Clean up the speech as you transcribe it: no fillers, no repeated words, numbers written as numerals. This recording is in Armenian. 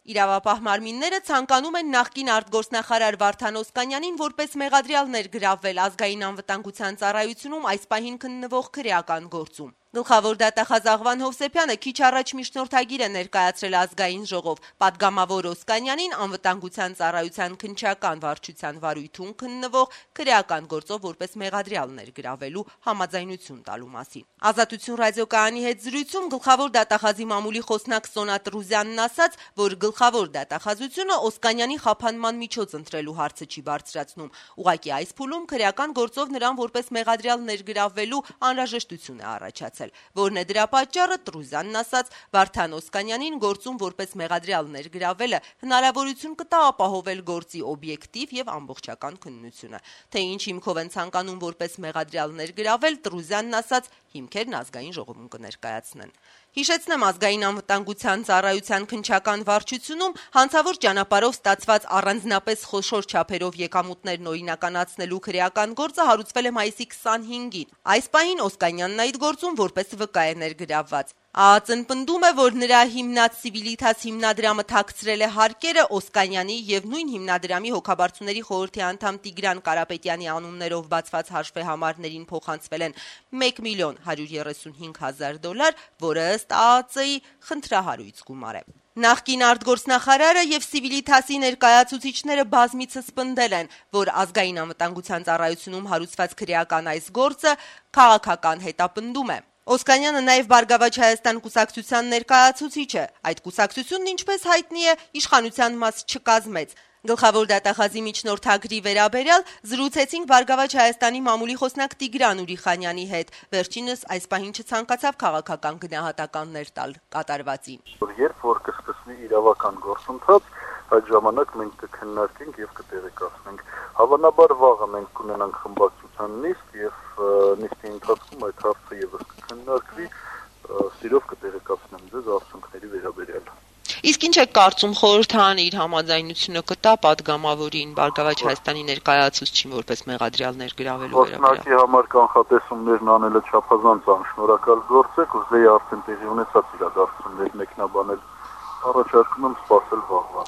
Իրավապահ մարմինները ցանկանում են նախկին արտգործնախարար Վարդան Օսկանյանին որպես մեղադրյալ ներգրավվել ազգային անվտանգության ծառայությունում այս պահին քննվող քրեական գործում։ Գլխավոր դատախազ Աղվան Հովսեփյանը քիչ առաջ միջնորդագիր է ներկայացրել ազգային ժողով, պատգամավոր Օսկանյանին անվտանգության ծառայության քննչական վարչության վարույթում քննվող քրեական գործով որպես մեղադրյալ ներգրավելու համաձայնություն տալու մասին։ Ազատություն ռադիոկայանի հետ զրույցում գլխավոր դատախազի մամուլի խոսնակ Սոնա Տրուզյանն ասաց, որ գլխավոր դատախազությունը Օսկանյանի խափանման միջոց ընտրելու հարցը չի բարձրացնում։ Ուղղակի այս փուլում քրեական գործով նրան որպես մեղադրյալ ներգրավելու անհրաժեշտություն է առաջացել, որն է դրա պատճառը, Տրուզյանն ասաց, Վարդան Օսկանյանին գործում որպես մեղադրյալ ներգրավելը հնարավորություն կտա ապահովել գործի օբյեկտիվ եւ ամբողջական քննությունը։ Թե ինչ հիմքով են ցանկանում որպես մեղադրյալ ներգրավել, Տրուզյանն ասաց, հիմքերն ազգային ժողովում կներկայացնեն։ Հիշեցնեմ, ազգային անվտանգության ծառայության քննչական վարչությունում հանցավոր ճանապարհով ստացված առանձնապես խոշոր չափերով եկամուտներն օրինականացնելու քրեական գործը հարուցվել է մայիսի 25-ին։ Այս պահին Օսկանյանն այդ գործում որպես վկա է ներգրավված։ ԱԱԾ-ն պնդում է, որ նրա հիմնած Civitas հիմնադրամը թաքցրել է հարկերը Օսկանյանի եւ նույն հիմնադրամի հոգաբարձուների խորհրդի անդամ Տիգրան Կարապետյանի անուններով բացված հաշվեհամարներին փոխանցվել են $1,135,000, որը ըստ ԱԱԾ-ի խնդրահարույց գումար է։ Նախկին արտգործնախարարը եւ Civitas-ի ներկայացուցիչները բազմիցս պնդել են, որ ազգային անվտանգության ծառայությունում հարուցված քրեական այս գործը քաղաքական հետապնդում է։ Օսկանյանը նաև Բարգավաճ Հայաստան կուսակցության ներկայացուցիչ է։ Այդ կուսակցությունն, ինչպես հայտնի է, իշխանության մաս չկազմեց։ Գլխավոր դատախազի միջնորդագրի վերաբերյալ զրուցեցինք Բարգավաճ Հայաստանի մամուլի խոսնակ Տիգրան Ուրիխանյանի հետ։ Վերջինս այս պահին չցանկացավ քաղաքական գնահատականներ տալ կատարվածին։ Երբ որ կսկսվի իրավական գործընթաց, այդ ժամանակ մենք կքննարկենք եւ կտեղեկացնենք։ Հավանաբար վաղը մենք կունենանք խմբակցության նիստ եւ նիստի ընթացքում այդ հարցը եւս կքննարկվի, սիրով կտեղեկացնեմ ձեզ արդյունքների վերաբերյալ։ Իսկ ինչ է կարծում, խորհրդարանը իր համաձայնությունը կտա պատգամավորին Բարգավաճ Հայաստանի ներկայացուցչին որպես մեղադրյալ ներգրավելու վերաբերյալ։ Խոսնակի համար կանխատեսումներն անելը չափազանց անշնորհակալ գործ է, կուզեի արդեն տեղի ունեցած իրադարձություններ մեկնաբանել։ Առաջարկում եմ սպասել վաղվա։